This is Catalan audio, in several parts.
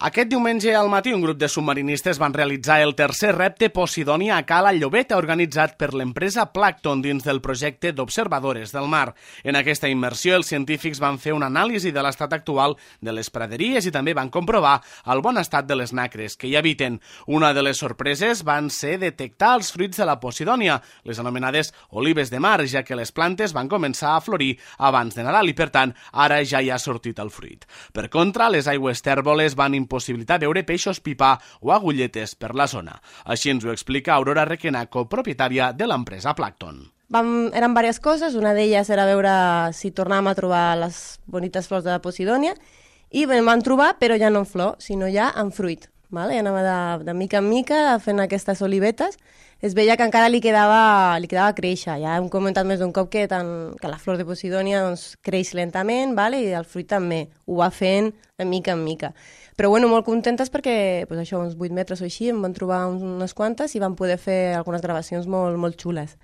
Aquest diumenge al matí un grup de submarinistes van realitzar el tercer repte Posidònia a Cala Llobeta organitzat per l'empresa Plankton dins del projecte d'observadores del mar. En aquesta immersió els científics van fer una anàlisi de l'estat actual de les praderies i també van comprovar el bon estat de les nacres que hi habiten. Una de les sorpreses van ser detectar els fruits de la Posidònia, les anomenades olives de mar, ja que les plantes van començar a florir abans de Nadal i per tant ara ja hi ha sortit el fruit. Per contra, les aigües tèrboles van impossibilitar veure peixos pipa o agulletes per la zona. Així ens ho explica Aurora Requenaco, propietària de l'empresa Plankton. Eren diverses coses, una d'elles era veure si tornàvem a trobar les bonites flors de la Posidònia i en vam trobar, però ja no en flor, sinó ja en fruit. Vale? Ja anava de mica en mica fent aquestes olivetes. Es veia que encara li quedava créixer. Ja hem comentat més d'un cop que la flor de Posidònia creix lentament, vale? I el fruit també ho va fent de mica en mica. Però bueno, molt contentes perquè uns 8 metres o així en van trobar unes quantes i van poder fer algunes gravacions molt, molt xules.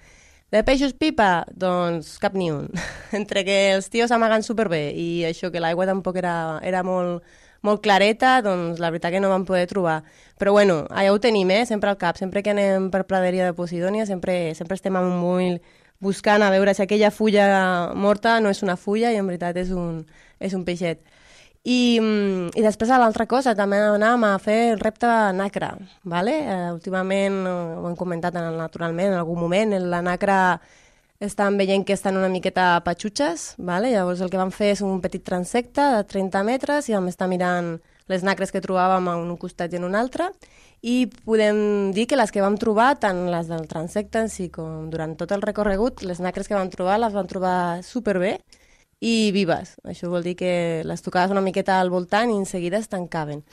De peixos pipa? Doncs cap ni un. Entre que els tios amaguen superbé i això que l'aigua tampoc era molt clareta, doncs la veritat que no vam poder trobar. Però bueno, allà ho tenim, sempre al cap. Sempre que anem per praderia de Posidònia, sempre estem amb un ull buscant a veure si aquella fulla morta no és una fulla i en veritat és un peixet. I després l'altra cosa, també anàvem a fer el repte nacra. Vale? Últimament, ho hem comentat naturalment en algun moment, la nacra estan veient que estan una miqueta patxutxes, vale? Llavors el que vam fer és un petit transecte de 30 metres i vam estar mirant les nacres que trobàvem en un costat i en un altre i podem dir que les que vam trobar, tant les del transecte en si com durant tot el recorregut, les nacres que vam trobar les vam trobar superbé i vives. Això vol dir que les tocaves una miqueta al voltant i en seguida es tancaven.